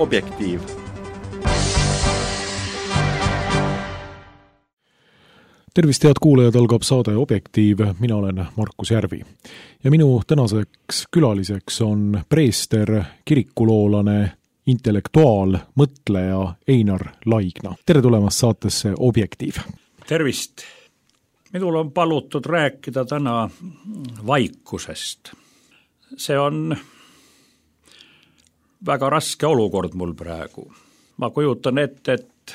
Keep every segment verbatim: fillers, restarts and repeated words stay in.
Objektiiv. Tervist, head kuulajad, algab saade Objektiiv, mina olen Markus Järvi. Ja minu tänaseks külaliseks on preester, kirikuloolane, intellektuaal, mõtleja Einar Laigna. Tere tulemast saatesse Objektiiv. Tervist! Minul on palutud rääkida täna vaikusest. See on väga raske olukord mul praegu. Ma kujutan ette, et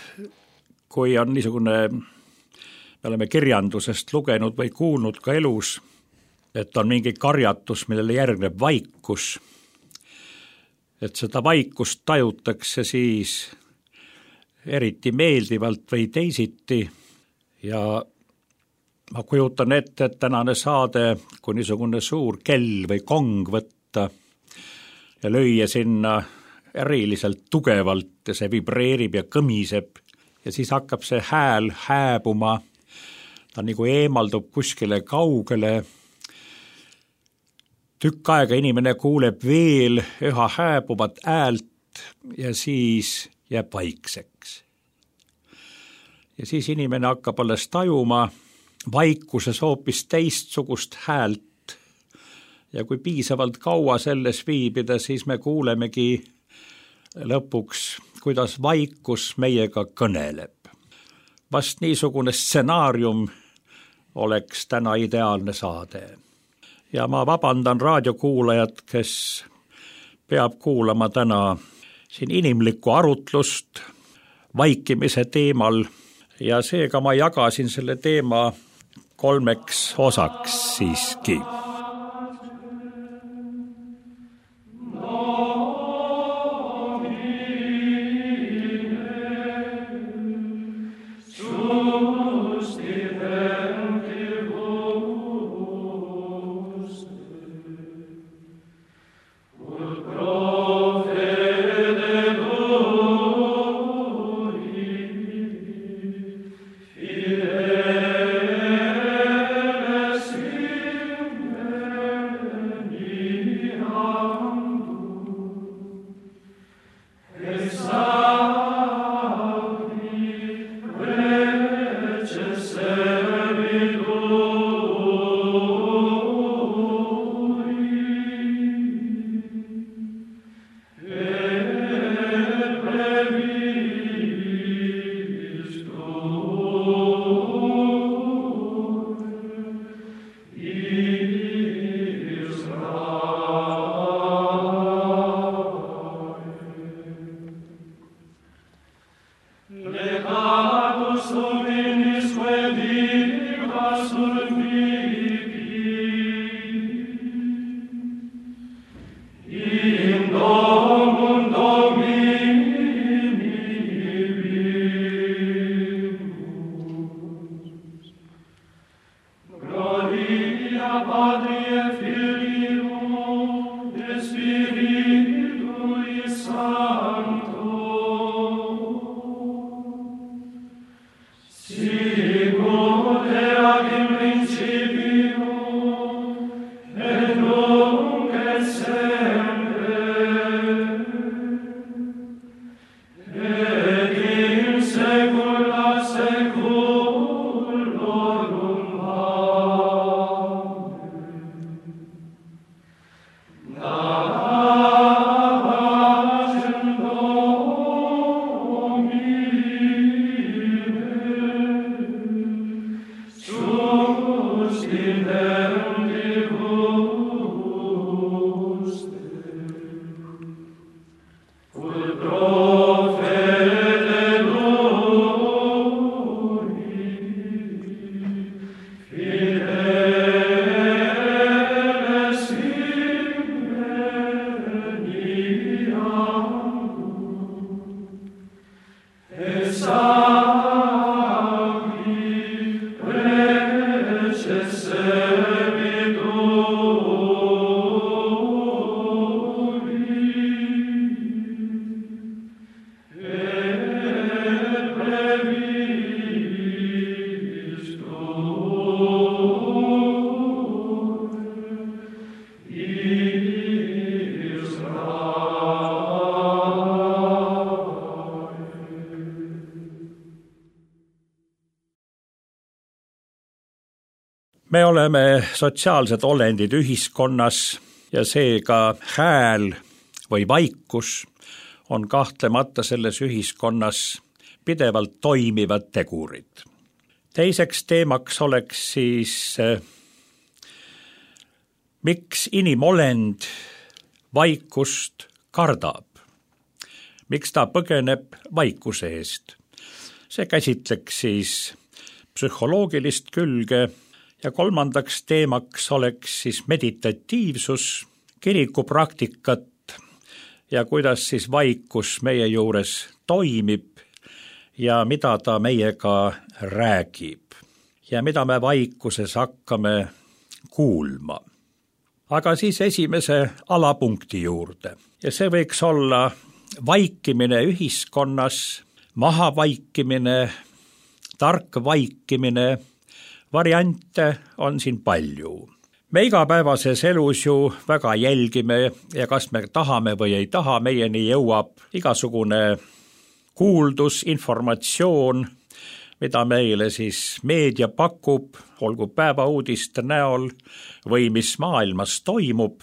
kui on niisugune, me oleme kirjandusest lugenud või kuulnud ka elus, et on mingi karjatus, millele järgneb vaikus, et seda vaikust tajutakse siis eriti meeldivalt või teisiti ja ma kujutan ette, et tänane saade, kui niisugune suur kell või kong võtta ja lüüa sinna eriliselt tugevalt ja see vibreerib ja kõmiseb ja siis hakkab see hääl hääbuma, ta nagu eemaldub kuskile kaugele. Tükk aega inimene kuuleb veel üha hääbuvat häält ja siis jääb vaikseks. Ja siis inimene hakkab alles tajuma vaikuses hoopis teistsugust häält ja kui piisavalt kaua selles viibida, siis me kuulemegi lõpuks, kuidas vaikus meiega kõneleb. Vast niisugune stsenaarium oleks täna ideaalne saade. Ja ma vabandan raadiokuulajad, kes peab kuulama täna siin inimlikku arutlust vaikimise teemal ja seega ma jagasin selle teema kolmeks osaks siiski. me oleme sotsiaalsed olendid ühiskonnas ja seega hääl või vaikus on kahtlemata selles ühiskonnas pidevalt toimivad tegurid. Teiseks teemaks oleks siis, miks inimolend vaikust kardab, miks ta põgeneb vaikuse eest. See käsitleks siis psühholoogilist külge ja kolmandaks teemaks oleks siis meditatiivsus, kirikupraktikat ja kuidas siis vaikus meie juures toimib ja mida ta meiega räägib ja mida me vaikuses hakkame kuulma. Aga siis esimese alapunkti juurde ja see võiks olla vaikimine ühiskonnas, maha vaikimine, tark vaikimine, variante on siin palju. Me igapäevases elus ju väga jälgime ja kas me tahame või ei taha, meieni jõuab igasugune kuuldus, informatsioon, mida meile siis meedia pakub, olgu päevauudiste näol või mis maailmas toimub.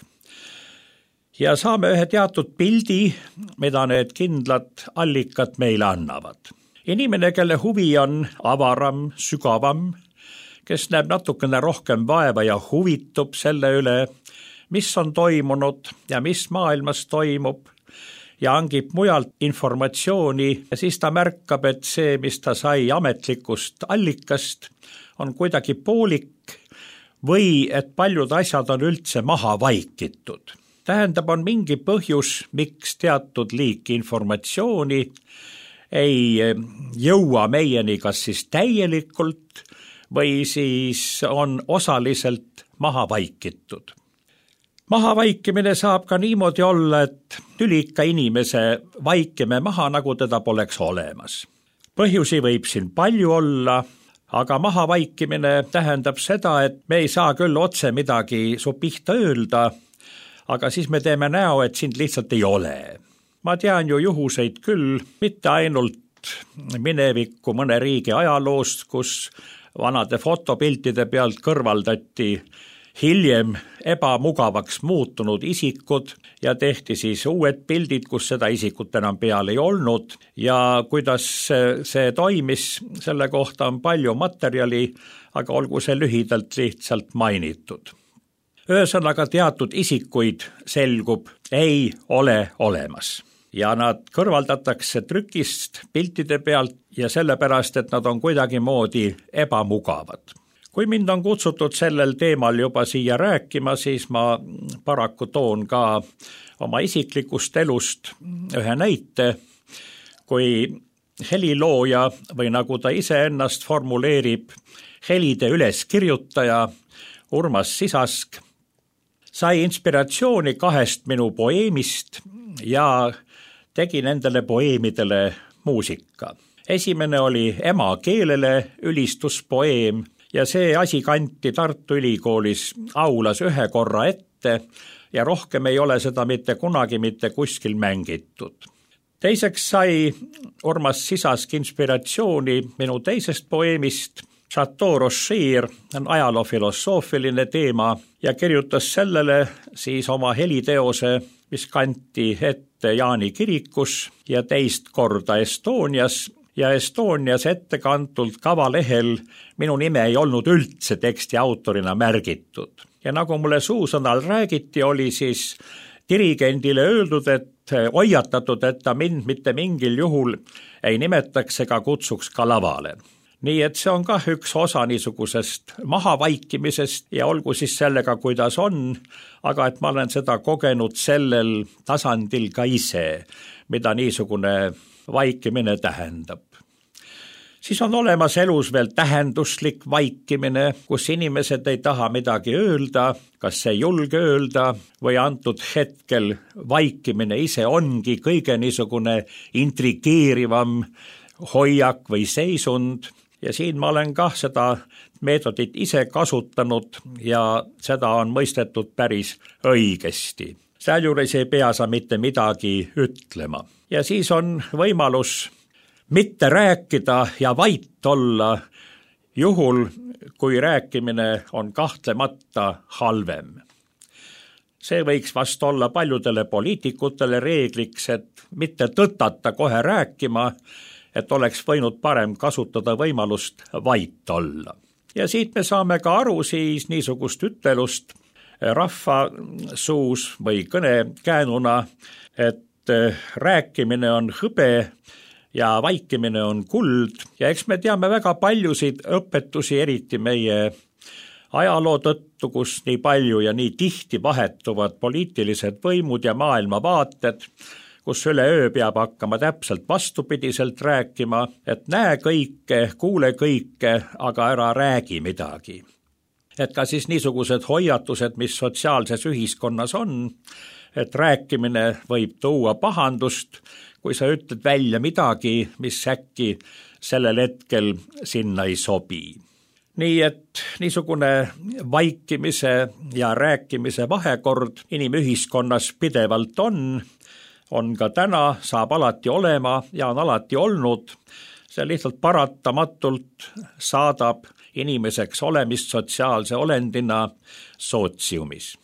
Ja saame ühe teatud pildi, mida need kindlad allikad meile annavad. Inimene, kelle huvi on avaram, sügavam, kes näeb natukene rohkem vaeva ja huvitub selle üle, mis on toimunud ja mis maailmas toimub ja hangib mujalt informatsiooni ja siis ta märkab, et see, mis ta sai ametlikust allikast, on kuidagi poolik või et paljud asjad on üldse maha vaikitud. Tähendab, on mingi põhjus, miks teatud liiki informatsiooni ei jõua meieni kas siis täielikult või siis on osaliselt maha vaikitud. Maha vaikimine saab ka niimoodi olla, et tülika inimese vaikime maha, nagu teda poleks olemas. Põhjusi võib siin palju olla, aga maha vaikimine tähendab seda, et me ei saa küll otse midagi su pihta öelda, aga siis me teeme näo, et sind lihtsalt ei ole. Ma tean ju juhuseid küll, mitte ainult minevikku mõne riigi ajaloost, kus vanade fotopiltide pealt kõrvaldati hiljem ebamugavaks muutunud isikud ja tehti siis uued pildid, kus seda isikut enam peal ei olnud ja kuidas see toimis, selle kohta on palju materjali, aga olgu see lühidalt lihtsalt mainitud. Ühesõnaga teatud isikuid selgub, ei ole olemas ja nad kõrvaldatakse trükist piltide pealt ja sellepärast, et nad on kuidagi moodi ebamugavad. Kui mind on kutsutud sellel teemal juba siia rääkima, siis ma paraku toon ka oma isiklikust elust ühe näite, kui helilooja või nagu ta ise ennast formuleerib, helide üleskirjutaja Urmas Sisask sai inspiratsiooni kahest minu poeemist ja tegi nendele poeemidele muusika. Esimene oli emakeelele ülistuspoeem ja see asi kanti Tartu Ülikoolis aulas ühe korra ette ja rohkem ei ole seda mitte kunagi mitte kuskil mängitud. Teiseks sai Urmas Sisask inspiratsiooni minu teisest poeemist, Chateau Rocher on ajaloofilosoofiline teema ja kirjutas sellele siis oma heliteose, mis kanti ette Jaani kirikus ja teist korda Estonias ja Estonias ettekantult kavalehel minu nime ei olnud üldse teksti autorina märgitud. Ja nagu mulle suusõnal räägiti, oli siis dirigendile öeldud, et hoiatatud, et ta mind mitte mingil juhul ei nimetaks ega kutsuks ka lavale. Nii et see on ka üks osa niisugusest mahavaikimisest ja olgu siis sellega, kuidas on, aga et ma olen seda kogenud sellel tasandil ka ise, mida niisugune vaikimine tähendab. Siis on olemas elus veel tähenduslik vaikimine, kus inimesed ei taha midagi öelda, kas ei julge öelda või antud hetkel vaikimine ise ongi kõige niisugune intrigeerivam hoiak või seisund. Ja siin ma olen kah seda meetodit ise kasutanud ja seda on mõistetud päris õigesti. Sealjuures ei pea sa mitte midagi ütlema. Ja siis on võimalus mitte rääkida ja vait olla juhul, kui rääkimine on kahtlemata halvem. See võiks vast olla paljudele poliitikutele reegliks, et mitte tõtata kohe rääkima, et oleks võinud parem kasutada võimalust vait olla. Ja siit me saame ka aru siis niisugust ütelust rahva suus või kõnekäänuna, et rääkimine on hõbe ja vaikimine on kuld ja eks me teame väga paljusid õpetusi, eriti meie ajaloo tõttu, kus nii palju ja nii tihti vahetuvad poliitilised võimud ja maailmavaated, kus üleöö peab hakkama täpselt vastupidiselt rääkima, et näe kõike, kuule kõike, aga ära räägi midagi. Et ka siis niisugused hoiatused, mis sotsiaalses ühiskonnas on, et rääkimine võib tuua pahandust, kui sa ütled välja midagi, mis äkki sellel hetkel sinna ei sobi. Nii et niisugune vaikimise ja rääkimise vahekord inimühiskonnas pidevalt on, on ka täna, saab alati olema ja on alati olnud. See lihtsalt paratamatult saadab inimeseks olemist sotsiaalse olendina sootsiumis.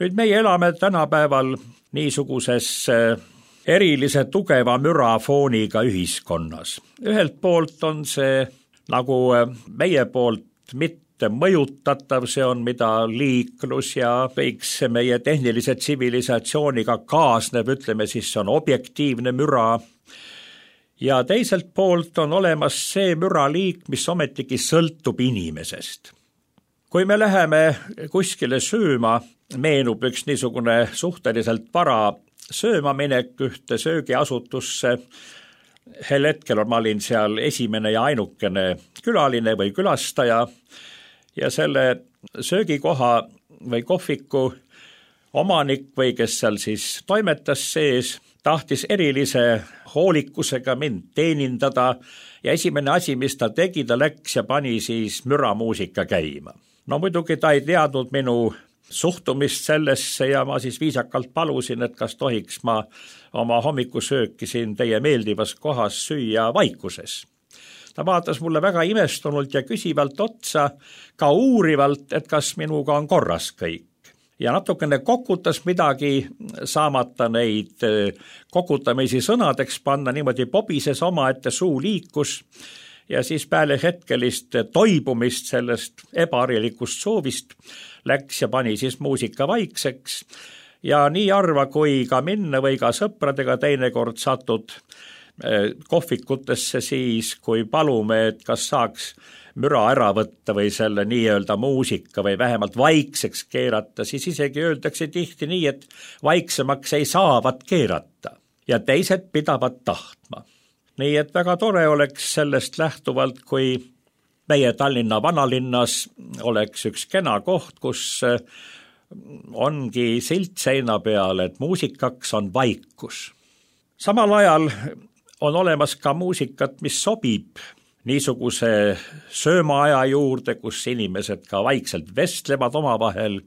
Nüüd meie elame tänapäeval niisuguses erilise tugeva mürafooniga ühiskonnas. Ühelt poolt on see nagu meie poolt mitte mõjutatav, see on mida liiklus ja kõik see meie tehnilise tsivilisatsiooniga kaasneb, ütleme siis see on objektiivne müra. Ja teiselt poolt on olemas see müraliik, mis ometigi sõltub inimesest. Kui me läheme kuskile sööma, meenub üks niisugune suhteliselt vara söömaminek ühte söögiasutusse. Hel hetkel ma olin seal esimene ja ainukene külaline või külastaja ja selle söögikoha või kohviku omanik või kes seal siis toimetas sees, tahtis erilise hoolikusega mind teenindada ja esimene asi, mis ta tegi, ta läks ja pani siis müramuusika käima. No muidugi ta ei teadnud minu suhtumist sellesse ja ma siis viisakalt palusin, et kas tohiks ma oma hommikusööki siin teie meeldivas kohas süüa vaikuses. Ta vaatas mulle väga imestunult ja küsivalt otsa, ka uurivalt, et kas minuga on korras kõik. Ja natukene kokutas midagi, saamata neid kokutamisi sõnadeks panna, niimoodi pobises oma ette suu liikus ja siis peale hetkelist toibumist sellest ebaharilikust soovist läks ja pani siis muusika vaikseks ja nii harva kui ka minna või ka sõpradega teinekord satud kohvikutesse siis, kui palume, et kas saaks müra ära võtta või selle nii-öelda muusika või vähemalt vaikseks keerata, siis isegi öeldakse tihti nii, et vaiksemaks ei saavat keerata ja teised pidavad tahtma. Nii et väga tore oleks sellest lähtuvalt, kui meie Tallinna vanalinnas oleks üks kena koht, kus ongi silt seina peal, et muusikaks on vaikus. Samal ajal on olemas ka muusikat, mis sobib niisuguse söömaaja juurde, kus inimesed ka vaikselt vestlevad omavahel,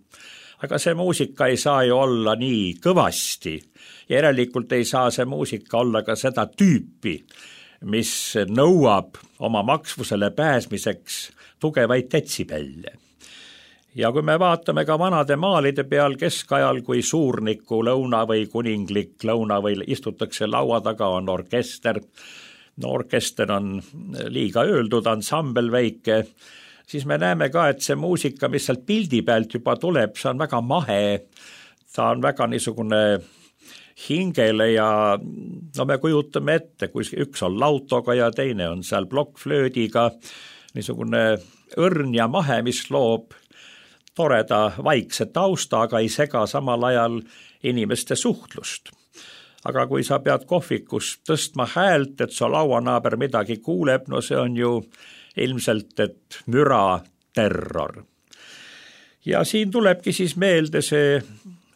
aga see muusika ei saa ju olla nii kõvasti ja järelikult ei saa see muusika olla ka seda tüüpi, mis nõuab oma maksvusele pääsmiseks tugevaid detsibelle. Ja kui me vaatame ka vanade maalide peal keskajal, kui suurniku lõuna või kuninglik lõuna või istutakse laua taga, on orkester, no orkester on liiga öeldud, ansambel väike, siis me näeme ka, et see muusika, mis sealt pildi pealt juba tuleb, see on väga mahe, ta on väga niisugune hingele ja no me kujutame ette, kui üks on lautoga ja teine on seal plokkflöödiga, niisugune õrn ja mahe, mis loob toreda vaikse tausta, aga ei sega samal ajal inimeste suhtlust. Aga kui sa pead kohvikus tõstma häält, et su lauanaaber midagi kuuleb, no see on ju ilmselt, et müra terror. Ja siin tulebki siis meelde see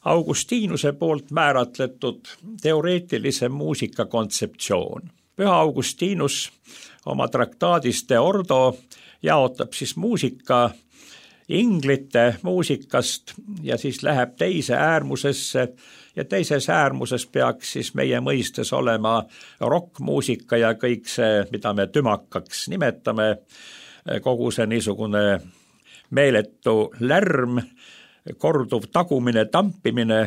Augustinuse poolt määratletud teoreetilise muusika kontseptsioon. Püha Augustinus oma traktaadis De Ordo jaotab siis muusika inglite muusikast ja siis läheb teise äärmusesse ja teises äärmuses peaks siis meie mõistes olema rockmuusika ja kõik see, mida me tümakaks nimetame, kogu see niisugune meeletu lärm, korduv tagumine, tampimine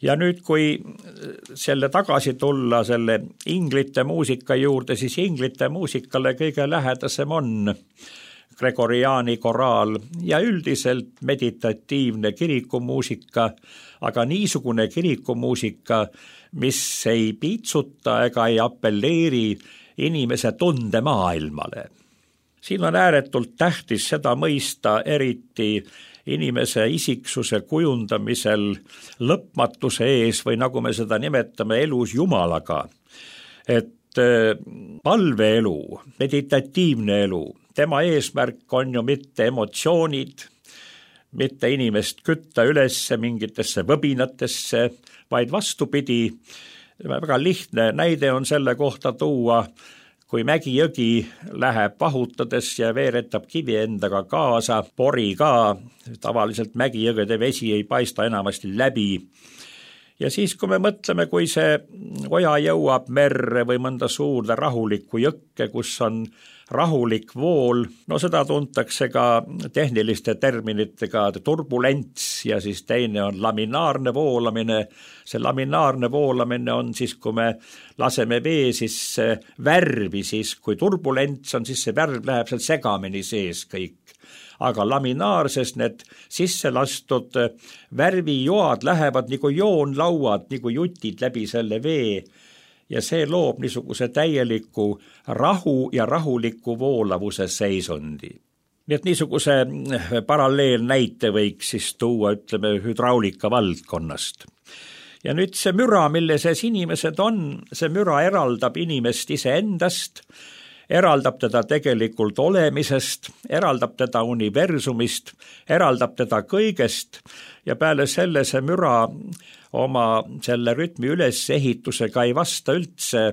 ja nüüd, kui selle tagasi tulla selle inglite muusika juurde, siis inglite muusikale kõige lähedasem on Gregoriani koraal ja üldiselt meditatiivne kirikumuusika, aga niisugune kirikumuusika, mis ei piitsuta ega ei appelleeri inimese tundemaailmale. Siin on ääretult tähtis seda mõista eriti inimese isiksuse kujundamisel lõpmatuse ees või nagu me seda nimetame elus Jumalaga, et palveelu, meditatiivne elu, tema eesmärk on ju mitte emotsioonid, mitte inimest kütta ülesse mingitesse võbinatesse, vaid vastupidi, väga lihtne näide on selle kohta tuua, kui Mägi-jõgi läheb vahutades ja veeretab kivi endaga kaasa, pori ka, tavaliselt Mägi-jõgede vesi ei paista enamasti läbi. Ja siis, kui me mõtleme, kui see oja jõuab merre või mõnda suurde rahulikku jõkke, kus on rahulik vool, no seda tuntakse ka tehniliste terminitega turbulents ja siis teine on laminaarne voolamine. See laminaarne voolamine on siis, kui me laseme vee sisse värvi, siis kui turbulents on, siis see värv läheb seal segamini sees kõik. Aga laminaarses need sisse lastud värvijoad lähevad nagu joonlauad, nagu jutid läbi selle vee ja see loob niisuguse täieliku rahu ja rahuliku voolavuse seisundi. Nii et niisuguse paralleelnäite võiks siis tuua, ütleme, hüdraulika valdkonnast. Ja nüüd see müra, mille sees inimesed on, see müra eraldab inimest iseendast, eraldab teda tegelikult olemisest, eraldab teda universumist, eraldab teda kõigest ja peale selle see müra oma selle rütmi ülesehitusega ei vasta üldse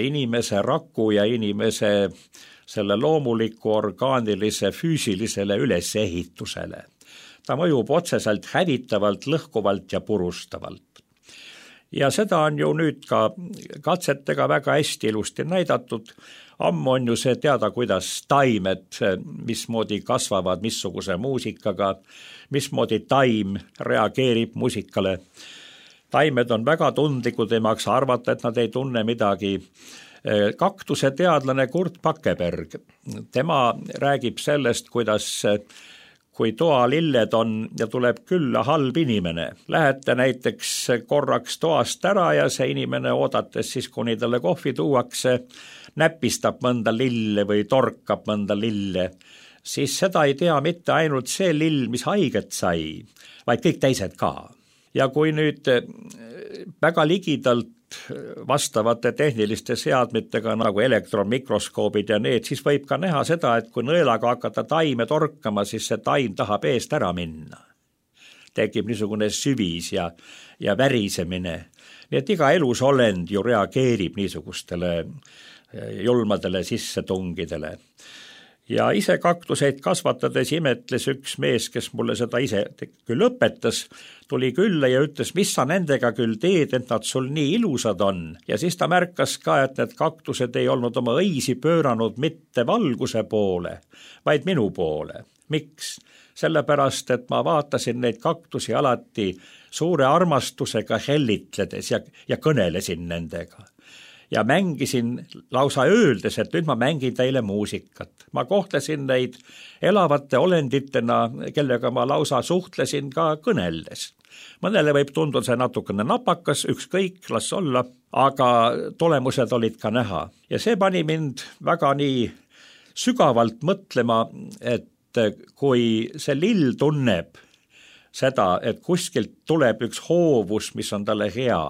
inimese raku ja inimese selle loomuliku orgaanilise füüsilisele ülesehitusele. Ta mõjub otseselt hävitavalt, lõhkuvalt ja purustavalt. Ja seda on ju nüüd ka katsetega väga hästi ilusti näidatud. Ammu on ju see teada, kuidas taimed, mismoodi kasvavad, missuguse muusikaga, mismoodi taim reageerib muusikale. Taimed on väga tundlikud, ei maksa arvata, et nad ei tunne midagi. Kaktuse teadlane Kurt Pakkeberg, tema räägib sellest, kuidas kui toalilled on ja tuleb külla halb inimene. Lähete näiteks korraks toast ära ja see inimene oodates siis, kuni talle kohvi tuuakse, näpistab mõnda lille või torkab mõnda lille, siis seda ei tea mitte ainult see lill, mis haiget sai, vaid kõik teised ka. Ja kui nüüd väga ligidalt vastavate tehniliste seadmetega nagu elektronmikroskoobid ja need, siis võib ka näha seda, et kui nõelaga hakata taime torkama, siis see taim tahab eest ära minna. Tekib niisugune süvis ja, ja värisemine. Nii et iga elusolend ju reageerib niisugustele julmadele sissetungidele. Ja ise kaktuseid kasvatades imetles üks mees, kes mulle seda ise küll õpetas, tuli külla ja ütles, mis sa nendega küll teed, et nad sul nii ilusad on. Ja siis ta märkas ka, et need kaktused ei olnud oma õisi pööranud mitte valguse poole, vaid minu poole. Miks? Sellepärast, et ma vaatasin neid kaktusi alati suure armastusega hellitledes ja, ja kõnelesin nendega. Ja mängisin lausa öeldes, et nüüd ma mängin teile muusikat. Ma kohtlesin neid elavate olenditena, kellega ma lausa suhtlesin ka kõneldes. Mõnele võib tunduda see natukene napakas, ükskõik, las olla, aga tulemused olid ka näha. Ja see pani mind väga nii sügavalt mõtlema, et kui see lill tunneb seda, et kuskilt tuleb üks hoovus, mis on talle hea,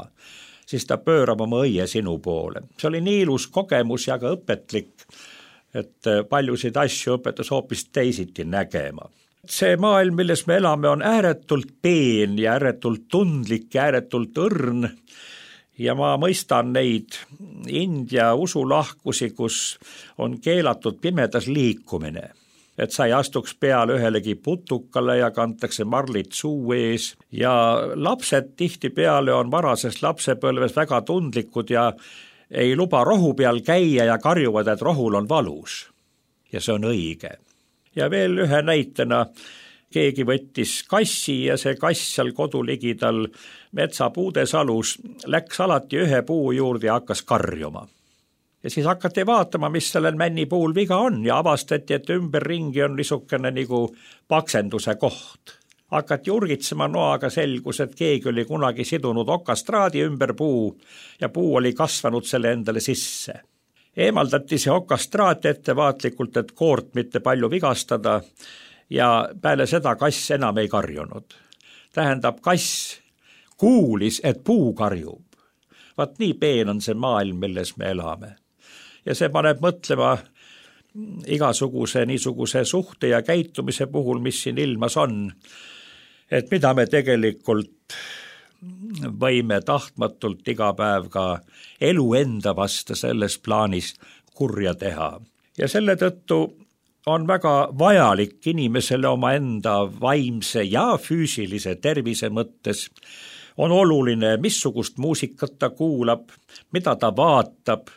siis ta pöörab oma õie sinu poole. See oli nii ilus kogemus ja ka õpetlik, et paljusid asju õpetas hoopis teisiti nägema. See maailm, milles me elame, on ääretult peen ja ääretult tundlik ja ääretult õrn ja ma mõistan neid India usulahkusi, kus on keelatud pimedas liikumine. Et sa ei astuks peale ühelegi putukale ja kantakse marlit suu ees ja lapsed tihti peale on varasest lapsepõlves väga tundlikud ja ei luba rohu peal käia ja karjuvad, et rohul on valus. Ja see on õige. Ja veel ühe näitena keegi võttis kassi ja see kass seal koduligidal metsapuudesalus läks alati ühe puu juurde ja hakkas karjuma. Ja siis hakati vaatama, mis sellel männipuul viga on ja avastati, et ümberringi on niisugune nagu paksenduse koht. Hakati urgitsema noaga, selgus, et keegi oli kunagi sidunud okastraadi ümber puu ja puu oli kasvanud selle endale sisse. Eemaldati see okastraat ettevaatlikult, et koort mitte palju vigastada ja peale seda kass enam ei karjunud. Tähendab, kass kuulis, et puu karjub. Vaat nii peen on see maailm, milles me elame. Ja see paneb mõtlema igasuguse niisuguse suhte ja käitumise puhul, mis siin ilmas on, et mida me tegelikult võime tahtmatult iga päev ka elu enda vastu selles plaanis kurja teha. Ja selle tõttu on väga vajalik inimesele oma enda vaimse ja füüsilise tervise mõttes. On oluline, missugust muusikat ta kuulab, mida ta vaatab,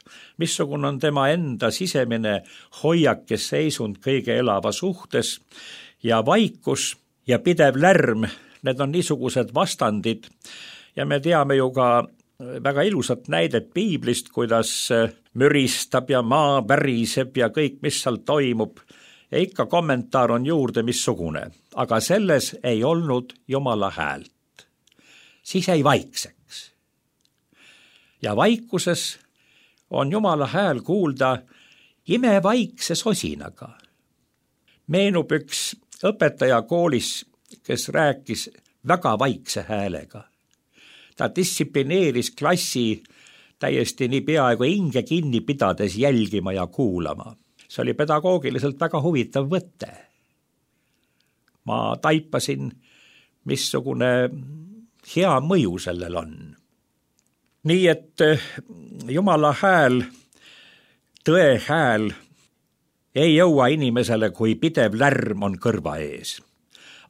missugune on tema enda sisemine hoiak ja seisund kõige elava suhtes ja vaikus ja pidev lärm, need on niisugused vastandid ja me teame ju ka väga ilusat näidet piiblist, kuidas müristab ja maa väriseb ja kõik, mis seal toimub ja ikka kommentaar on juurde missugune, aga selles ei olnud Jumala häält. Siis ei vaikseks. Ja vaikuses on Jumala hääl kuulda imevaikse sosinaga. Meenub üks õpetaja koolis, kes rääkis väga vaikse häälega. Ta distsiplineeris klassi täiesti nii peaaegu hinge kinni pidades jälgima ja kuulama. See oli pedagoogiliselt väga huvitav võte. Ma taipasin, missugune hea mõju sellel on. Nii et Jumala hääl, tõe hääl ei jõua inimesele, kui pidev lärm on kõrva ees.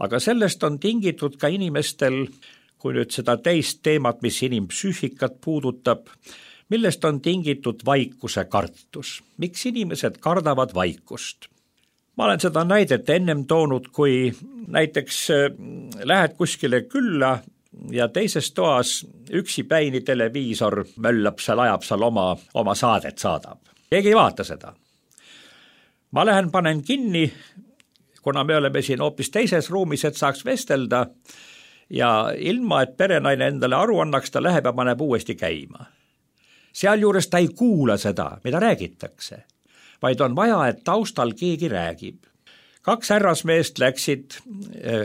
Aga sellest on tingitud ka inimestel, kui nüüd seda teist teemat, mis inimpsüühikat puudutab, millest on tingitud vaikuse kartus. Miks inimesed kardavad vaikust? Ma olen seda näidet ennem toonud, kui näiteks lähed kuskile külla ja teises toas üksipäini televiisor möllab seal, ajab seal oma, oma saadet saadab. Keegi ei vaata seda. Ma lähen panen kinni, kuna me oleme siin hoopis teises ruumis, et saaks vestelda ja ilma, et perenaine endale aru annaks, ta läheb ja paneb uuesti käima. Sealjuures ta ei kuula seda, mida räägitakse, vaid on vaja, et taustal keegi räägib. Kaks härrasmeest läksid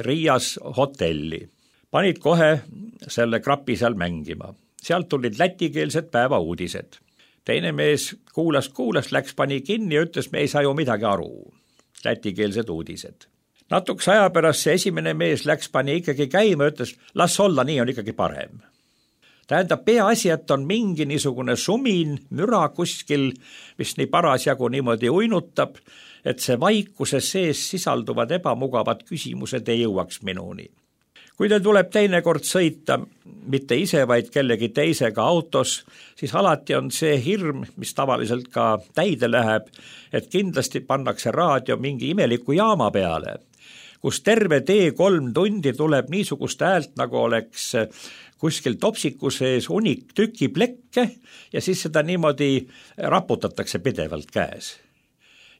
Riias hotelli, panid kohe selle krapi seal mängima. Sealt tulid lätikeelsed päevauudised. Teine mees kuulas, kuulas, läks, pani kinni ja ütles, me ei saa ju midagi aru. Lätikeelsed uudised. Natuks aja pärast see esimene mees läks, pani ikkagi käima, ütles, las olla, nii on ikkagi parem. Tähendab, peaasi, et on mingi niisugune sumin, müra kuskil, mis nii parasjagu niimoodi uinutab, et see vaikuse sees sisalduvad ebamugavad küsimused ei jõuaks minuni. Kui teil tuleb teinekord sõita, mitte ise, vaid kellegi teisega autos, siis alati on see hirm, mis tavaliselt ka täide läheb, et kindlasti pannakse raadio mingi imeliku jaama peale, kus terve tee kolm tundi tuleb niisugust häält, nagu oleks kuskil topsiku sees unik tüki plekke ja siis seda niimoodi raputatakse pidevalt käes.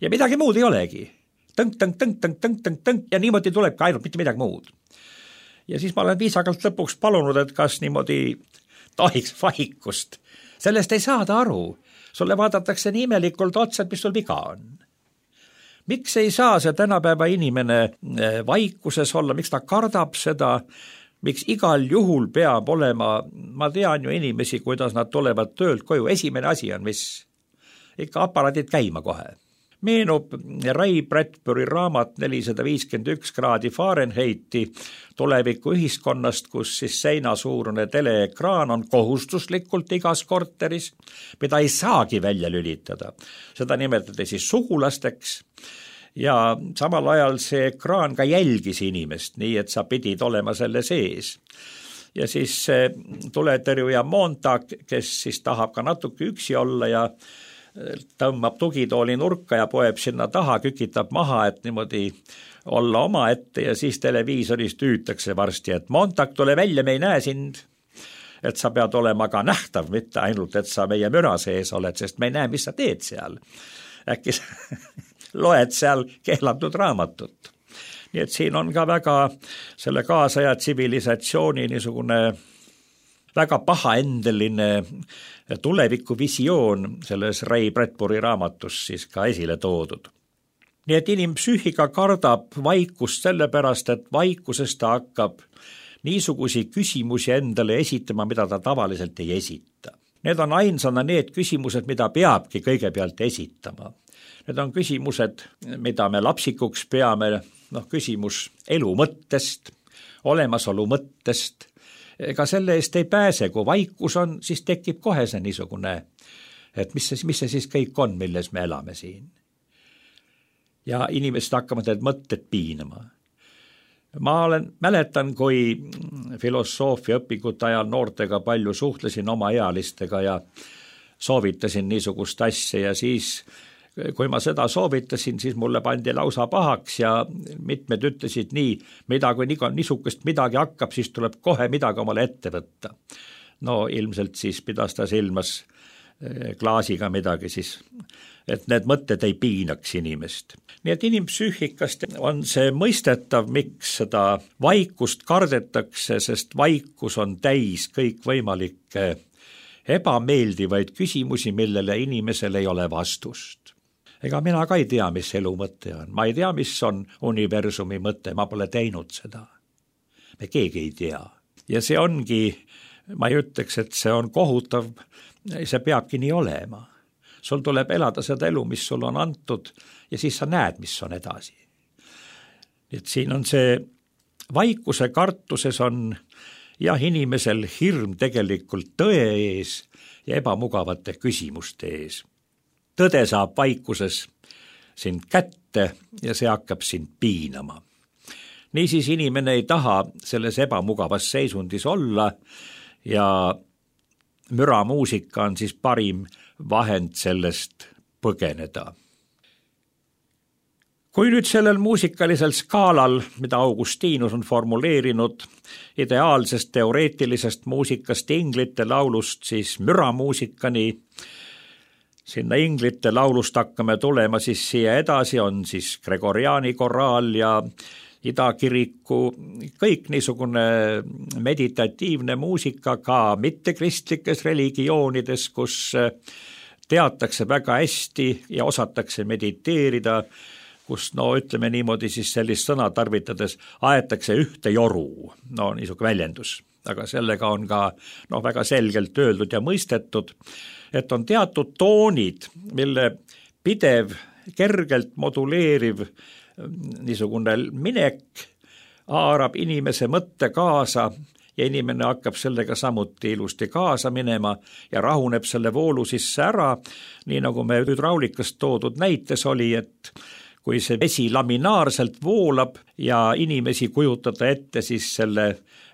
Ja midagi muud ei olegi. Tõnk, tõnk, tõnk, tõnk, tõnk, tõnk, tõnk ja niimoodi tuleb ka ainult mitte midagi muud. Ja siis ma olen viisakalt lõpuks palunud, et kas niimoodi tohiks vaikust. Sellest ei saada aru. Sulle vaadatakse nii imelikult otsa, et mis sul viga on. Miks ei saa see tänapäeva inimene vaikuses olla, miks ta kardab seda, miks igal juhul peab olema, ma tean ju inimesi, kuidas nad tulevad töölt koju, esimene asi on, mis ikka aparaadid käima kohe. Meenub Ray Bradbury raamat nelisada viiskümmend üks kraadi Fahrenheiti tuleviku ühiskonnast, kus siis seinasuurune teleekraan on kohustuslikult igas korteris, mida ei saagi välja lülitada. Seda nimetati siis sugulasteks ja samal ajal see ekraan ka jälgis inimest, nii et sa pidid olema selle sees. Ja siis tuletõrjuja Montag, kes siis tahab ka natuke üksi olla ja tõmbab tugitooli nurka ja poeb sinna taha, kükitab maha, et niimoodi olla oma ette ja siis televiisorist hüütakse varsti, et Montag, tule välja, me ei näe sind, et sa pead olema ka nähtav, mitte ainult, et sa meie müra sees oled, sest me ei näe, mis sa teed seal. Äkki sa loed seal keelatud raamatut. Nii et siin on ka väga selle kaasaja tsivilisatsiooni niisugune väga pahaendeline tulevikuvisioon selles Ray Bradbury raamatus siis ka esile toodud. Nii et inimpsüühika kardab vaikust sellepärast, et vaikuses ta hakkab niisugusi küsimusi endale esitama, mida ta tavaliselt ei esita. Need on ainsana need küsimused, mida peabki kõigepealt esitama. Need on küsimused, mida me lapsikuks peame, noh, küsimus elu mõttest, olemasolu mõttest. Ega selle eest ei pääse, kui vaikus on, siis tekib kohe see niisugune, et mis see, mis see siis kõik on, milles me elame siin. Ja inimesed hakkavad need mõtted piinama. Ma olen, mäletan, kui filosoofia õpingute ajal noortega palju suhtlesin oma ealistega ja soovitasin niisugust asja ja siis kui ma seda soovitasin, siis mulle pandi lausa pahaks ja mitmed ütlesid nii, mida kui niisugust midagi hakkab, siis tuleb kohe midagi omale ette võtta. No ilmselt siis pidas ta silmas klaasiga midagi siis, et need mõtted ei piinaks inimest. Nii et inimpsüühikast on see mõistetav, miks seda vaikust kardetakse, sest vaikus on täis kõikvõimalikke ebameeldivaid küsimusi, millele inimesel ei ole vastust. Ega mina ka ei tea, mis elu mõte on. Ma ei tea, mis on universumi mõte, ma pole teinud seda. Me keegi ei tea. Ja see ongi ma ei ütleks, et see on kohutav, see peabki nii olema. Sul tuleb elada seda elu, mis sul on antud ja siis sa näed, mis on edasi. Et siin on see vaikuse kartuses on jah, inimesel hirm tegelikult tõe ees ja ebamugavate küsimuste ees. Tõde saab vaikuses sind kätte ja see hakkab sind piinama. Niisiis inimene ei taha selles ebamugavas seisundis olla ja müramuusika on siis parim vahend sellest põgeneda. Kui nüüd sellel muusikalisel skaalal, mida Augustinus on formuleerinud ideaalsest teoreetilisest muusikast inglite laulust, siis müramuusikani, sinna inglite laulust hakkame tulema, siis siia edasi on siis Gregoriani koraal ja idakiriku, kõik niisugune meditatiivne muusika ka mittekristlikes religioonides, kus teatakse väga hästi ja osatakse mediteerida, kus no ütleme niimoodi siis sellist sõna tarvitades aetakse ühte joru, no niisugune väljendus, aga sellega on ka no, väga selgelt öeldud ja mõistetud, et on teatud toonid, mille pidev, kergelt moduleeriv niisugune minek haarab inimese mõtte kaasa ja inimene hakkab sellega samuti ilusti kaasa minema ja rahuneb selle voolu sisse ära, nii nagu me hüdraulikast toodud näites oli, et kui see vesi laminaarselt voolab ja inimesi kujutada ette siis selle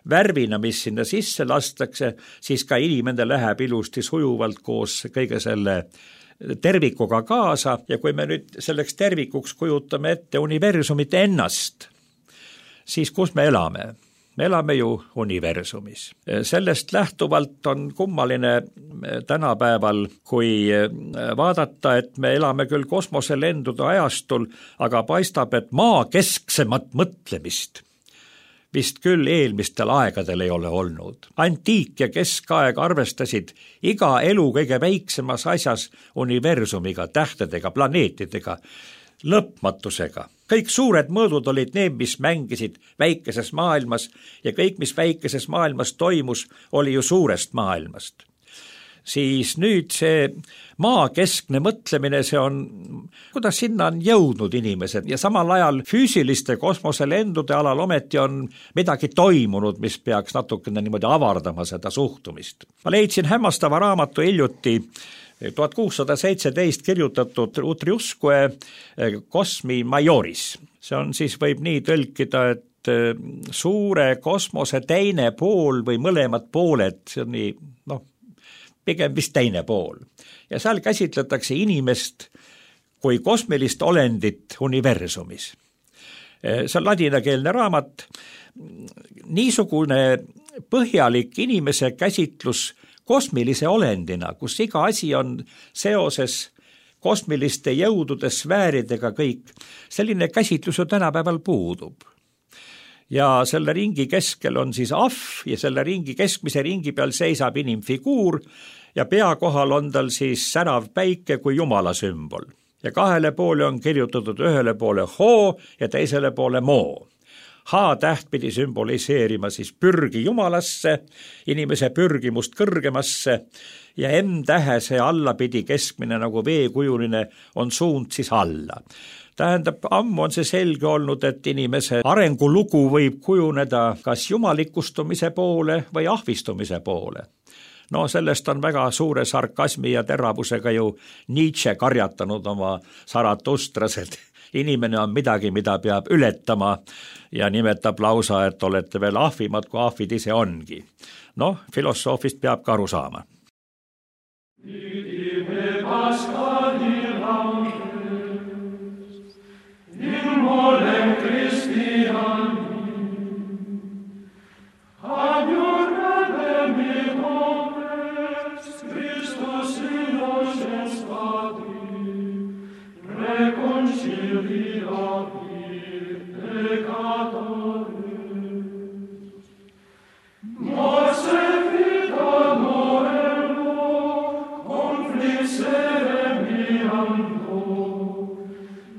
värvina, mis sinna sisse lastakse, siis ka inimene läheb ilusti sujuvalt koos kõige selle tervikuga kaasa ja kui me nüüd selleks tervikuks kujutame ette universumit ennast, siis kus me elame? Me elame ju universumis. Sellest lähtuvalt on kummaline tänapäeval, kui vaadata, et me elame küll kosmoselendude ajastul, aga paistab, et maa kesksemat mõtlemist vist küll eelmistel aegadel ei ole olnud. Antiik ja keskaeg arvestasid iga elu kõige väiksemas asjas universumiga, tähtedega, planeetidega, lõpmatusega. Kõik suured mõõdud olid need, mis mängisid väikeses maailmas ja kõik, mis väikeses maailmas toimus, oli ju suurest maailmast. Siis nüüd see maakeskne mõtlemine, see on, kuidas sinna on jõudnud inimesed ja samal ajal füüsiliste kosmoselendude alal ometi on midagi toimunud, mis peaks natukene niimoodi avardama seda suhtumist. Ma leidsin hämmastava raamatu hiljuti tuhat kuussada seitseteist kirjutatud Utriusque Cosmi Majoris. See on siis, võib nii tõlkida, et suure kosmose teine pool või mõlemad pooled, see on nii, noh, pigem vist teine pool. Ja seal käsitletakse inimest kui kosmilist olendit universumis. See on ladinakeelne raamat. Niisugune põhjalik inimese käsitlus kosmilise olendina, kus iga asi on seoses kosmiliste jõudude sfääridega kõik, selline käsitlus ju tänapäeval puudub. Ja selle ringi keskel on siis ahv ja selle ringi keskmise ringi peal seisab inimfiguur ja pea kohal on tal siis särav päike kui jumala sümbol. Ja kahele poole on kirjutatud ühele poole hoo ja teisele poole moo. H-täht pidi sümboliseerima siis pürgi jumalasse, inimese pürgimust kõrgemasse ja M-tähe see alla pidi keskmine nagu veekujuline on suund siis alla. Tähendab, ammu on see selge olnud, et inimese arengulugu võib kujuneda kas jumalikustumise poole või ahvistumise poole. No sellest on väga suure sarkasmi ja teravusega ju Nietzsche karjatanud oma Zaratustras, et inimene on midagi, mida peab ületama ja nimetab lausa, et olete veel ahvimad, kui ahvid ise ongi. Noh, filosoofist peab ka aru saama.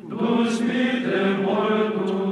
Dus mit dem Wort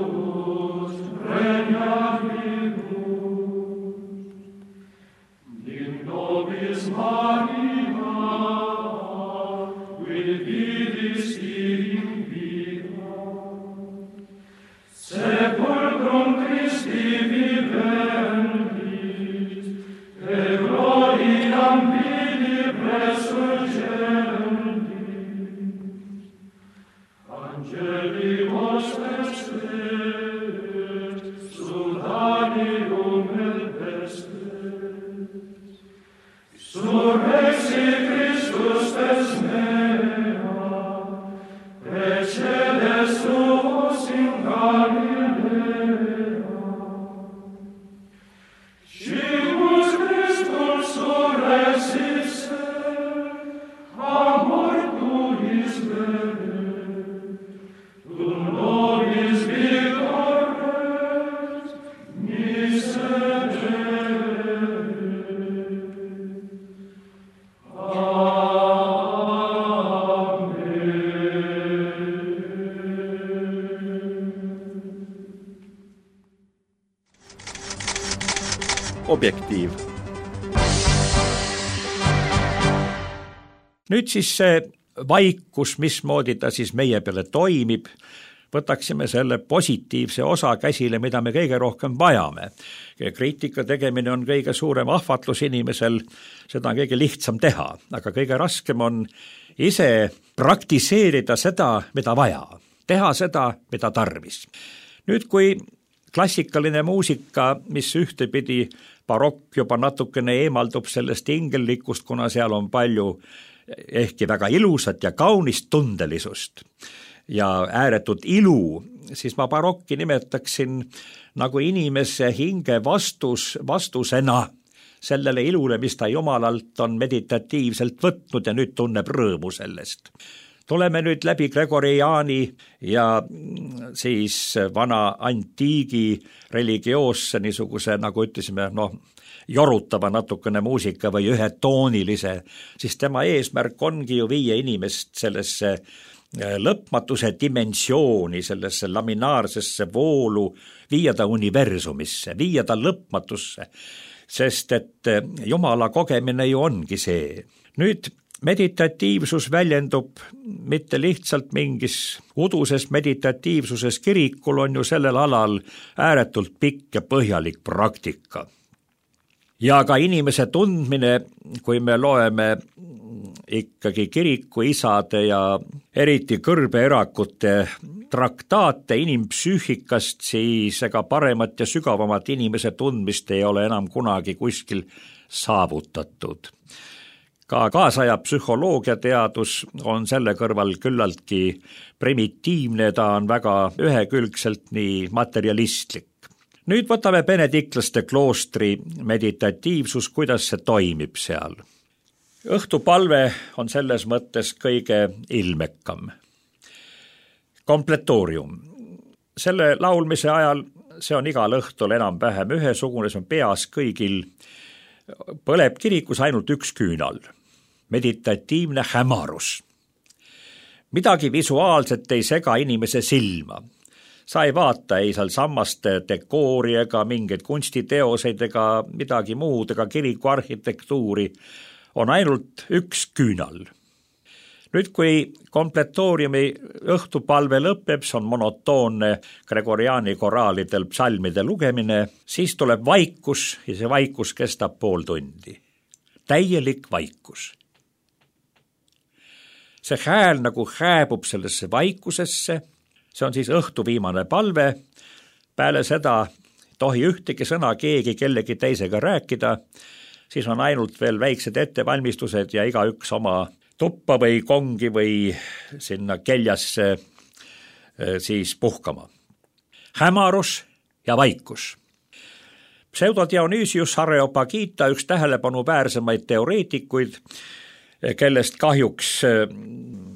Objektiiv. Nüüd siis see vaikus, mismoodi ta siis meie peale toimib, võtaksime selle positiivse osa käsile, mida me kõige rohkem vajame. Kriitika tegemine on kõige suurem ahvatlus inimesel, seda on kõige lihtsam teha, aga kõige raskem on ise praktiseerida seda, mida vaja, teha seda, mida tarvis. Nüüd, kui klassikaline muusika, mis ühtepidi barokk juba natukene eemaldub sellest ingellikust, kuna seal on palju ehkki väga ilusat ja kaunist tundelisust ja ääretut ilu, siis ma barokki nimetaksin nagu inimese hinge vastus, vastusena sellele ilule, mis ta jumalalt on meditatiivselt võtnud ja nüüd tunneb rõõmu sellest. Tuleme nüüd läbi Gregoriani ja siis vana antiigi religioosse niisuguse, nagu ütlesime, noh, jorutava natukene muusika või ühetoonilise, siis tema eesmärk ongi ju viia inimest sellesse lõpmatuse dimensiooni, sellesse laminaarsesse voolu, viia ta universumisse, viia ta lõpmatusse, sest et Jumala kogemine ju ongi see. Nüüd meditatiivsus väljendub mitte lihtsalt mingis uduses meditatiivsuses, kirikul on ju sellel alal ääretult pikk ja põhjalik praktika. Ja ka inimese tundmine, kui me loeme ikkagi kirikuisade ja eriti kõrbeerakute traktaate inimpsüühikast, siis ega paremat ja sügavamat inimese tundmist ei ole enam kunagi kuskil saavutatud. Ka kaasaja psühholoogiateadus on selle kõrval küllaltki primitiivne, ta on väga ühekülgselt nii materialistlik. Nüüd võtame benediklaste kloostri meditatiivsus, kuidas see toimib seal. Õhtupalve on selles mõttes kõige ilmekam. Kompletoorium. Selle laulmise ajal, see on igal õhtul enam-vähem ühesugune, see on peas kõigil, põleb kirikus ainult üks küünal. Meditatiivne hämarus. Midagi visuaalset ei sega inimese silma. Sa ei vaata ei seal sammaste dekoori ega mingeid kunstiteoseid ega midagi muud ega kiriku arhitektuuri. On ainult üks küünal. Nüüd, kui kompletooriumi õhtupalve lõpeb, see on monotoonne Gregoriani koraalidel psalmide lugemine, siis tuleb vaikus ja see vaikus kestab pool tundi. Täielik vaikus. See hääl nagu hääbub sellesse vaikusesse, see on siis õhtu viimane palve, peale seda tohi ühtegi sõna keegi kellegi teisega rääkida, siis on ainult veel väiksed ettevalmistused ja igaüks oma tuppa või kongi või sinna keljasse siis puhkama. Hämarus ja vaikus. Pseudodionüüsius Areopagita, üks tähelepanuväärsemaid teoreetikuid, kellest kahjuks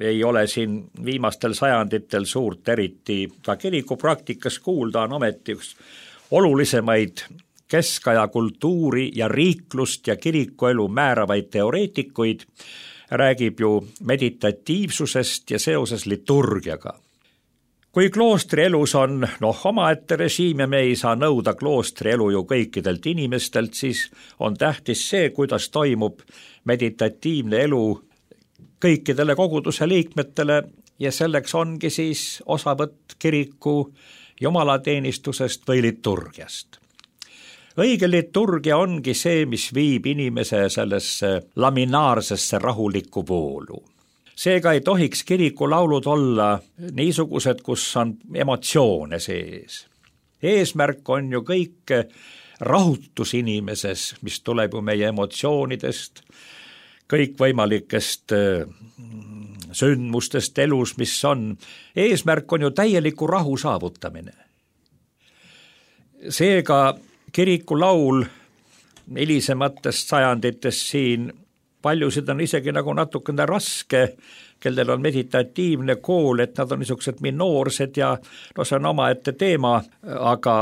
ei ole siin viimastel sajanditel suurt eriti ka kirikupraktikas kuulda, on ometi üks olulisemaid keskaja kultuuri ja riiklust ja kirikuelu määravaid teoreetikuid, räägib ju meditatiivsusest ja seoses liturgiaga. Kui kloostri elus on noh, omaette režiim ja me ei saa nõuda kloostri elu ju kõikidelt inimestelt, siis on tähtis see, kuidas toimub meditatiivne elu kõikidele koguduse liikmetele ja selleks ongi siis osavõtt kiriku jumalateenistusest või liturgiast. Õige liturgia ongi see, mis viib inimese sellesse laminaarsesse rahulikku voolu. Seega ei tohiks kirikulaulud olla niisugused, kus on emotsioone sees. eesmärk on ju kõik rahutus inimeses, mis tuleb ju meie emotsioonidest, kõikvõimalikest sündmustest elus, mis on. Eesmärk on ju täieliku rahu saavutamine. Seega kiriku laul hilisematest sajanditest siin paljusid on isegi nagu natukene raske, kellel on meditatiivne kool, et nad on niisugused minoorsed ja no see on omaette teema, aga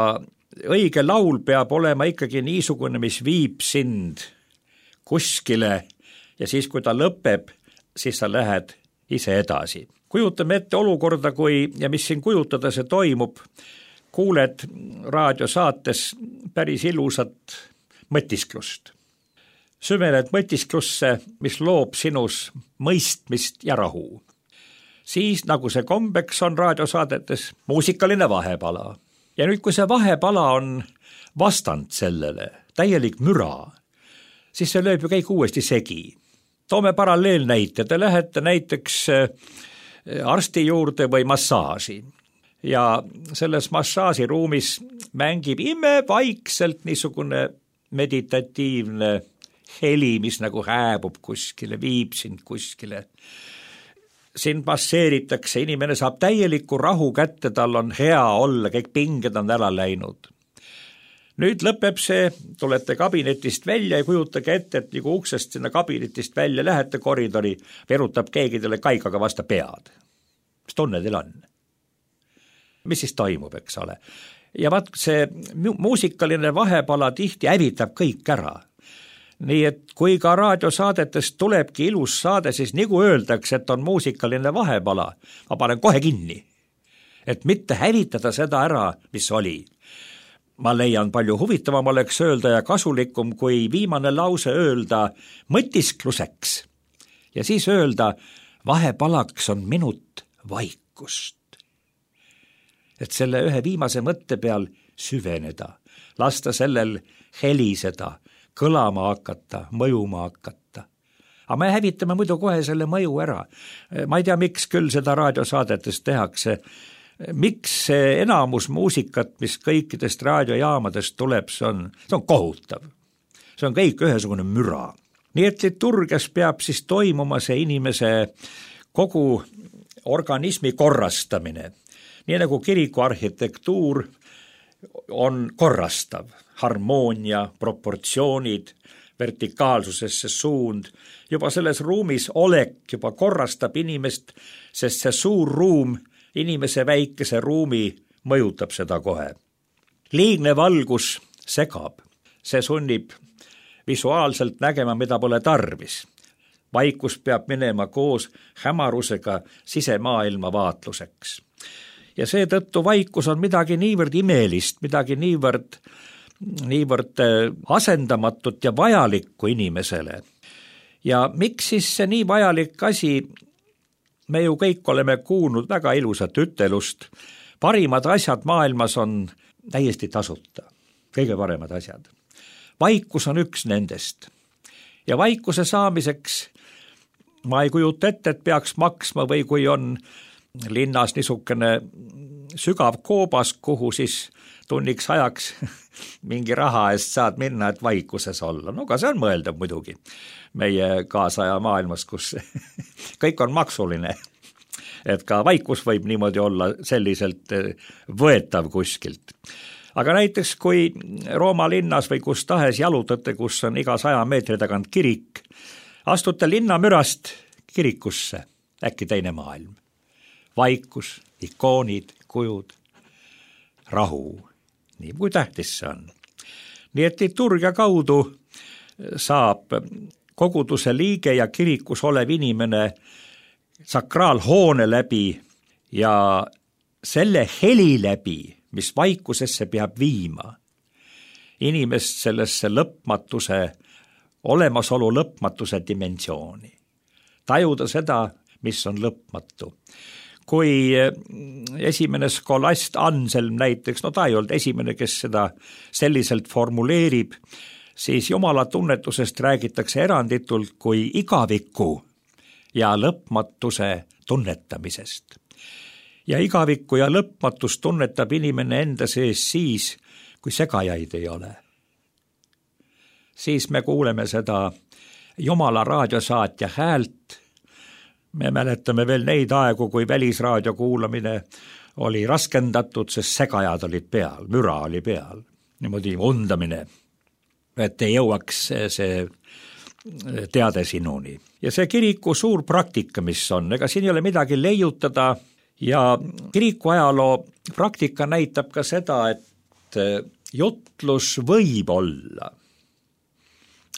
õige laul peab olema ikkagi niisugune, mis viib sind kuskile ja siis, kui ta lõpeb, siis sa lähed ise edasi. Kujutame ette olukorda, kui, ja mis siin kujutada see toimub, kuuled raadiosaates päris ilusat mõtisklust. Süvened mõtisklusse, mis loob sinus mõistmist ja rahu. Siis, nagu see kombeks on raadiosaadetes, muusikaline vahepala. Ja nüüd, kui see vahepala on vastand sellele, täielik müra, siis see lööb ju kõik uuesti segi. Toome paralleelnäite, te lähete näiteks arsti juurde või massaaži. Ja selles massaažiruumis mängib imevaikselt niisugune meditatiivne heli, mis nagu hääbub kuskile, viib sind kuskile. Sind masseeritakse, inimene saab täieliku rahu kätte, tal on hea olla, kõik pinged on ära läinud. Nüüd lõpeb see, tulete kabinetist välja ja kujutage ette, et nagu uksest sinna kabinetist välja lähete koridori, verutab keegi teile kaikaga vasta pead. Mis tunne teil on? Mis siis toimub, eks ole? Ja vaat see muusikaline vahepala tihti hävitab kõik ära. Nii et kui ka raadiosaadetest tulebki ilus saade, siis nagu öeldakse, et on muusikaline vahepala, ma panen kohe kinni. Et mitte hävitada seda ära, mis oli. Ma leian palju huvitavam oleks öelda ja kasulikum, kui viimane lause öelda mõtiskluseks ja siis öelda vahepalaks on minut vaikust. Et selle ühe viimase mõtte peal süveneda, lasta sellel heliseda, kõlama hakata, mõjuma hakata. Aga me hävitame muidu kohe selle mõju ära. Ma ei tea, miks küll seda raadiosaadetes tehakse. Miks see enamus muusikat, mis kõikidest raadiojaamadest tuleb, see on, see on kohutav. See on kõik ühesugune müra. Nii et liturgias peab siis toimuma see inimese kogu organismi korrastamine. Nii nagu kiriku arhitektuur on korrastav, harmoonia, proportsioonid, vertikaalsusesse suund, juba selles ruumis olek juba korrastab inimest, sest see suur ruum, inimese väikese ruumi mõjutab seda kohe. Liigne valgus segab, see sunnib visuaalselt nägema, mida pole tarvis. Vaikus peab minema koos hämarusega sisemaailma vaatluseks. Ja seetõttu vaikus on midagi niivõrd imelist, midagi niivõrd, niivõrd asendamatut ja vajalikku inimesele. Ja miks siis see nii vajalik asi, me ju kõik oleme kuulnud väga ilusat ütelust, parimad asjad maailmas on täiesti tasuta, kõige paremad asjad. Vaikus on üks nendest. Ja vaikuse saamiseks ma ei kujuta ette, et peaks maksma või kui on linnas niisugune sügav koobas, kuhu siis tunniks ajaks mingi raha eest saad minna, et vaikuses olla. No ka see on mõeldav muidugi meie kaasaja maailmas, kus kõik on maksuline. Et ka vaikus võib niimoodi olla selliselt võetav kuskilt. Aga näiteks kui Rooma linnas või kus tahes jalutate, kus on iga saja meetri tagant kirik, astute linnamürast kirikusse, äkki teine maailm. Vaikus, ikoonid, kujud, rahu, nii kui tähtis see on. Nii et liturgia kaudu saab koguduse liige ja kirikus olev inimene sakraalhoone läbi ja selle heli läbi, mis vaikusesse peab viima, inimest sellesse lõpmatuse, olemasolu lõpmatuse dimensiooni. Tajuda seda, mis on lõpmatu. Kui esimene skolast Anselm näiteks, no ta ei olnud esimene, kes seda selliselt formuleerib, siis Jumala tunnetusest räägitakse eranditult kui igaviku ja lõpmatuse tunnetamisest. ja igavikku ja lõpmatust tunnetab inimene enda sees siis, kui segajaid ei ole. Siis me kuuleme seda Jumala raadiosaatja häält. Me mäletame veel neid aegu, kui välisraadio kuulamine oli raskendatud, sest segajad olid peal, müra oli peal, niimoodi undamine, et ei jõuaks see teade sinuni. Ja see kiriku suur praktika, mis on, ega siin ei ole midagi leiutada ja kiriku ajaloo praktika näitab ka seda, et jutlus võib olla,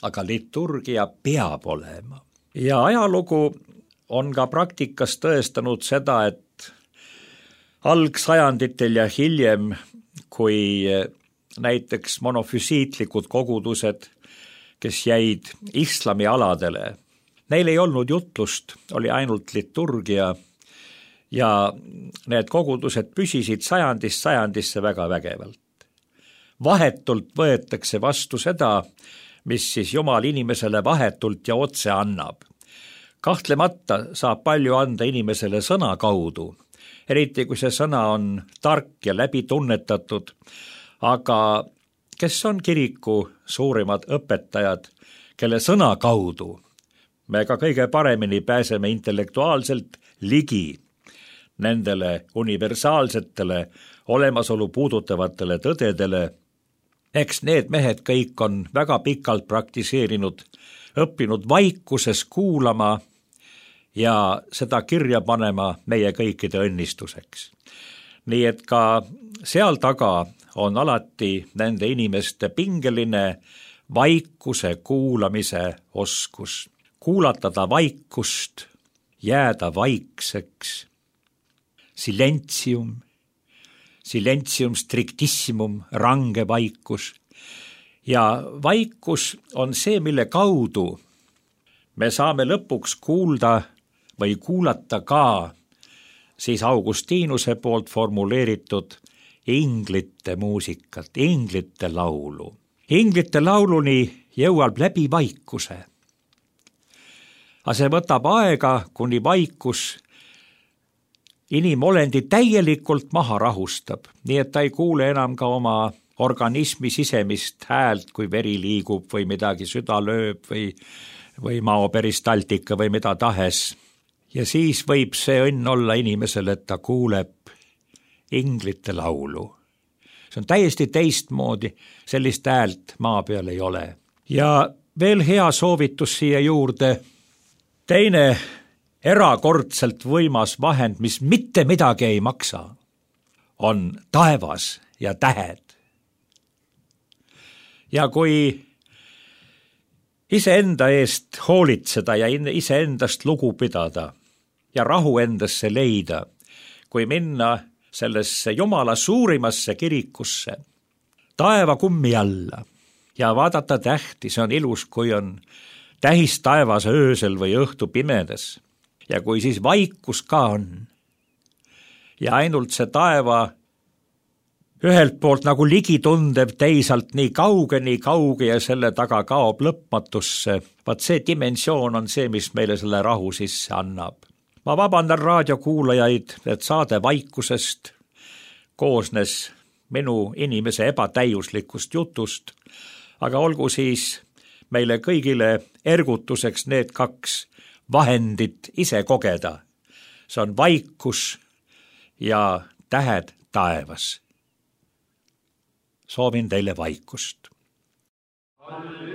aga liturgia peab olema. Ja ajalugu on ka praktikas tõestanud seda, et algsajanditel ja hiljem, kui näiteks monofüsiitlikud kogudused, kes jäid islami aladele, neil ei olnud jutlust, oli ainult liturgia ja need kogudused püsisid sajandist sajandisse väga vägevalt. Vahetult võetakse vastu seda, mis siis Jumal inimesele vahetult ja otse annab. Kahtlemata saab palju anda inimesele sõna kaudu, eriti kui see sõna on tark ja läbi tunnetatud, aga kes on kiriku suurimad õpetajad, kelle sõna kaudu me ka kõige paremini pääseme intellektuaalselt ligi nendele universaalsetele olemasolu puudutavatele tõdedele. Eks need mehed kõik on väga pikalt praktiseerinud, õppinud vaikuses kuulama ja seda kirja panema meie kõikide õnnistuseks. Nii et ka seal taga on alati nende inimeste pingeline vaikuse kuulamise oskus. Kuulatada vaikust, jääda vaikseks, silentium, silentium strictissimum, range vaikus. Ja vaikus on see, mille kaudu me saame lõpuks kuulda või kuulata ka siis Augustinuse poolt formuleeritud inglite muusikat, inglite laulu. Inglite lauluni jõuab läbi vaikuse. Aga see võtab aega, kuni vaikus inimolendi täielikult maha rahustab, nii et ta ei kuule enam ka oma organismi sisemist häält, kui veri liigub või midagi süda lööb või, või maoperistaltika või mida tahes. Ja siis võib see õnn olla inimesele, et ta kuuleb inglite laulu. See on täiesti teistmoodi, sellist häält maa peal ei ole. Ja veel hea soovitus siia juurde. Teine erakordselt võimas vahend, mis mitte midagi ei maksa, on taevas ja tähed. Ja kui iseenda eest hoolitseda ja iseendast lugu pidada ja rahu endasse leida, kui minna sellesse Jumala suurimasse kirikusse, taeva kummi alla ja vaadata tähti, see on ilus, kui on tähis taevas öösel või õhtu pimedas ja kui siis vaikus ka on ja ainult see taeva ühelt poolt nagu ligitundev, teisalt nii kauge, nii kauge ja selle taga kaob lõpmatusse, vaat see dimensioon on see, mis meile selle rahu sisse annab. Ma vabandan raadiokuulajaid, et saade vaikusest koosnes minu inimese ebatäiuslikust jutust, aga olgu siis meile kõigile ergutuseks need kaks vahendit ise kogeda. See on vaikus ja tähed taevas. Soovin teile vaikust. Oh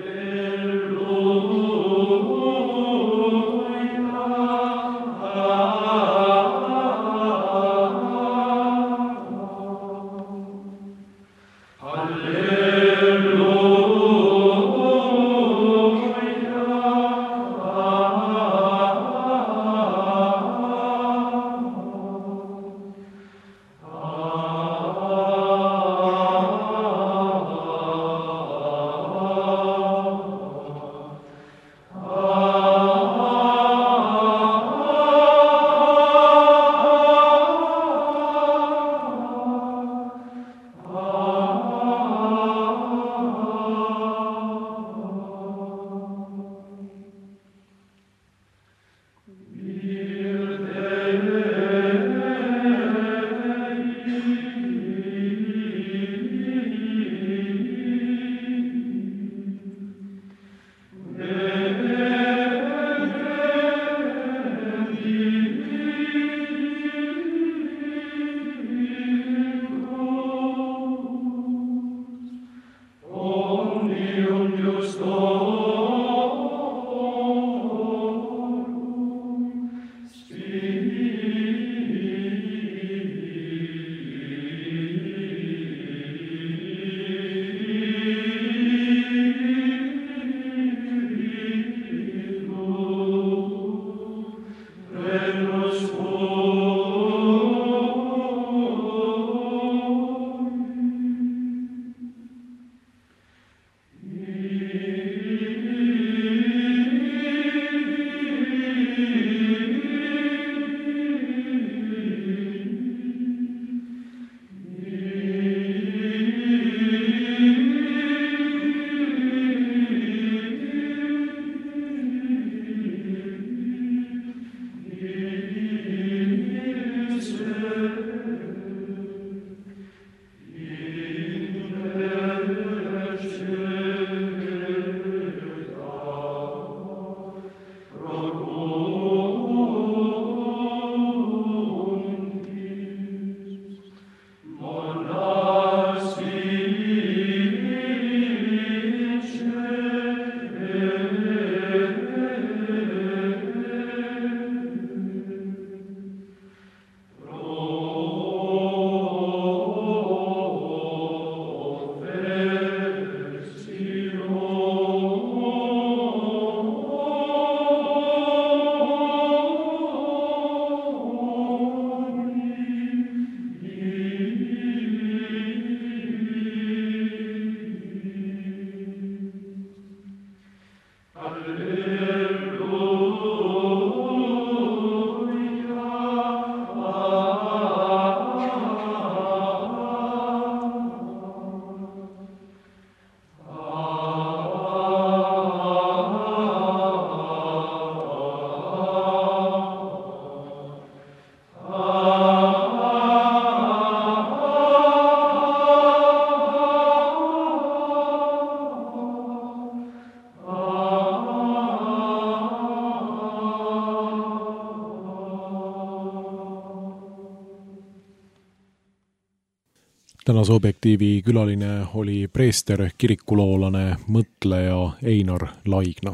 tänase Objektiivi külaline oli preester, kirikuloolane, mõtleja Einar Laigna.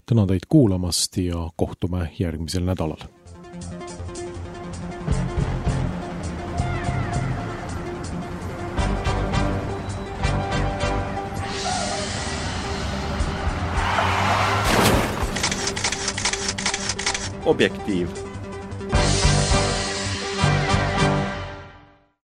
Tänan teid kuulamast ja kohtume järgmisel nädalal. Objektiiv.